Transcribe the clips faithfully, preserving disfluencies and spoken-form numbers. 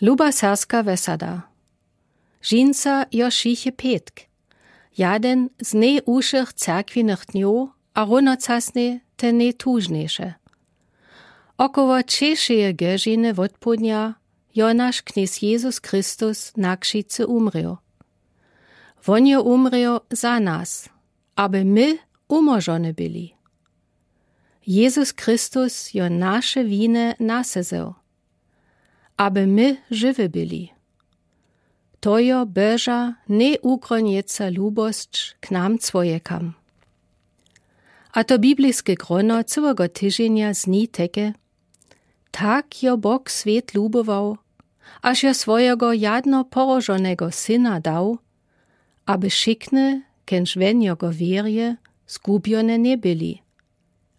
Luba serska wesada. Žinca jo šiche pětk, jaden z nejušych cerkwinych dnjow a równocasnje ten nejtužnjejše. Około třešeje gožiny wótpołdnja jo nasz Knjez Jezus Christus na křicy umrěł. Wón jo umrěł za nas, aby my umóžony byli. Jezus Christus jo naše winy na se wzył, aby my žiwi byli. To jo Boža nejukronjeca lubosć k nam człowiekam. A to bibliske grono cyłego tyźenja zni teke: Tak jo Bóg swět lubował, až jo swojego jadno porożonego Syna dał, aby wšikny, kenž w njogo wěrje, zgubjone njebyli,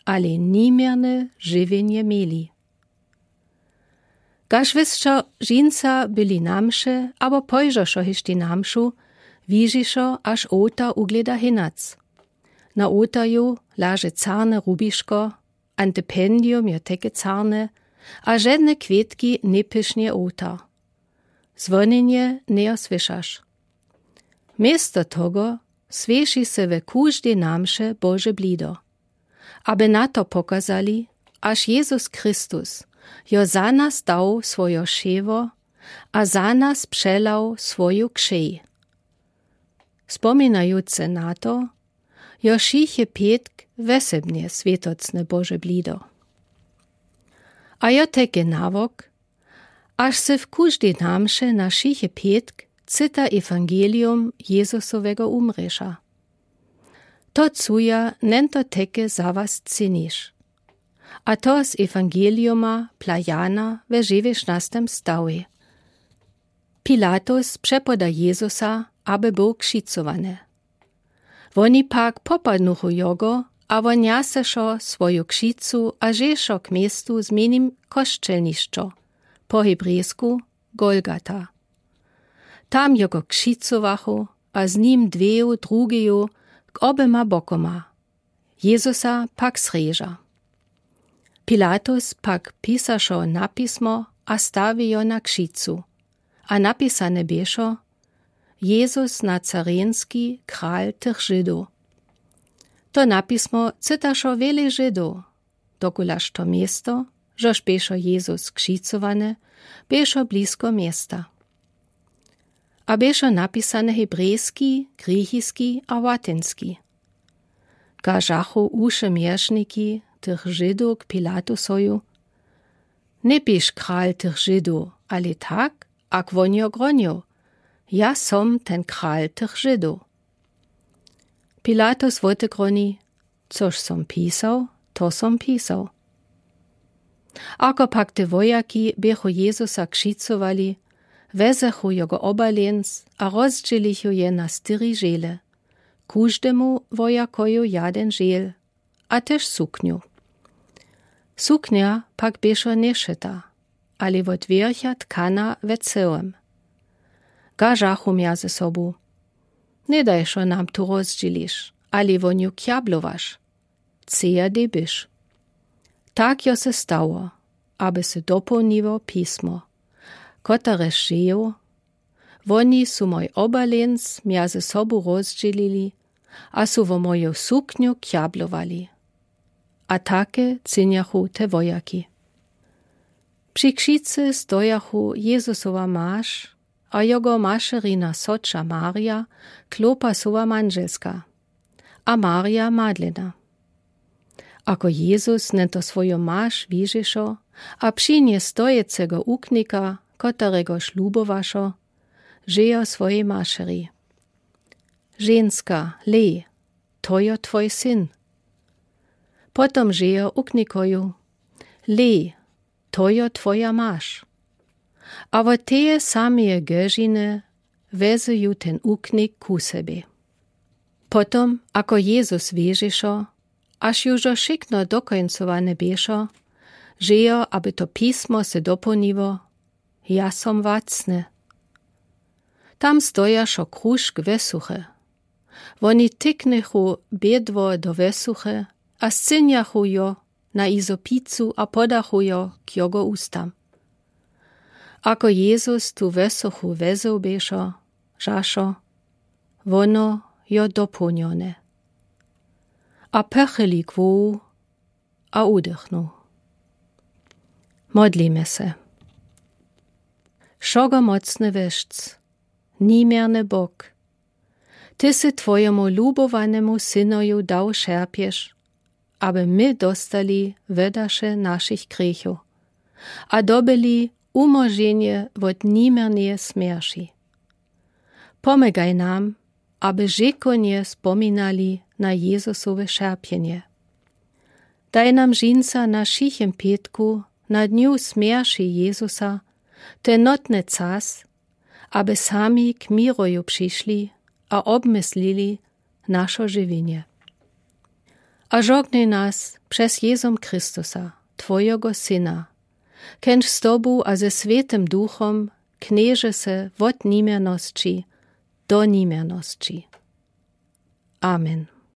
ale niměrne žiwjenje měli. Kaž wěsće žinca byli na mše abo pójdoše hišti na mšu, widźiše, až ołtar ugleda hinac. Na ołtarju leže carne rubiško, antependium jo teke carne, a žedne kwětki njepěšnje ołtar. Zwonjenje njejo słyšaš. Město togo słyši se we kóždej na mše Bože blido, aby na to pokazali, až Jezus Christus jo za nas dał swojo šeło a za nas přelał swoju křej. Spominajuce na to, jo šiche pětk wesebnje swětocne Bože blido. A jo teke nawok, až se w kóždej na mše na šiche pětk cyta ewangelium Jezusowego umrěša. To cuja nento teke za was cyniš. A to z ewangeliuma pla Jana we dźewjećnastem stawej. Pilatus přepoda Jezusa, aby był křicowany. Woni pak popadnuchu jogo, a won njaseše swoju křicu a dźeše k městu z mjenim Kosćelnišćo, po hebrejsku Golgata. Tam jogo křicowachu, a z nim dweju drugeju k oběma bokoma. Jezusa pak zreža. Pilatus pak pisaše napismo a stawi jo na křicu. A napisane běše: Jezus Nazarenski, kral tych Židow. To napismo cytaše wjele Židow, dokulaž to město, žož běše Jezus křicowany, běše blisko města. A běše napisane hebrejski, grěchiski a łatynski. Kažachu uše měršniki tych Židow k Pilatusoju: Njeběž kral tych Židow, ale tak, ak won jo gronjoł: Ja som ten kral tych Židow. Pilatus wotegroni: Což som pisał, to som pisał. Ako pak te wojaki běchu Jezusa křicowali, wezechu jogo obalenc a rozdźělichu je na štyri žele, kóždemu wojakoju jaden žel, a tež suknju. Suknja pak běše nješyta, ale wot wěrcha tkana we cyłym. Kažachu mjezy sobu: Njedajše nam tu rozdźěliš, ale won ju kjablowaš. Ceja dej byš. Tak jo se stało, aby se dopołniło pismo, koterež žejo: Woni su mój obalenc mjezy sobu rozdźělili a su wo moju suknju kjablowali. A take činjachu te wojaki. Při křicy stojachu Jezusowa maš a jogo mašerina sotřa Marja, Klopasowa mandźelska, a Marja Madlena. Ako Jezus njeto swoju maš widźiše a při njej stojecego uknika, koteregož lubowaše, žejo swojej mašeri: Ženska, lej, to jo twój syn. Potom žejo uknikoju: Lej, to jo twoja maš. A wot teje sameje gožiny wezu ju ten uknik ku sebje. Potom, ako Jezus wěrziše, až ju wšo wšikno dokońcowane běše, žejo, aby to pismo se dopołniło: Ja som wacny. Tam stojaše kružk wesuche. Woni tyknychu bědło do wesuche a scinjachu jo na jizo picu a podachu jo k jogo ustam. Ako Jezus tu wësochu wezôł běšo, žašo, wono jo dopołnjone. A pochyli głowu a udechnął. Modlimy se. Wszogomocny Weszc, nimierny Bóg, Ty sy Twojemu lubowanemu Synoju dał szerpież, aby my dostali wëdasze naszich grěchow a dobyli umóżenié wot nimierneje smierci. Pomôgaj nam, aby rzekownie spominali na Jezusowe szerpienié. Daj nam dźinsa na Wšichym Pětku, na dniu smierci Jezusa, te notne cas, aby sami k miroju přišli a obmyslili našo žiwjenje. A žognaj nas přez Jezum Christusa, Twojeho Syna, kenž z Tobu a ze Swětym Duchom knježe se wot nimiernosći do nimiernosći. Amen.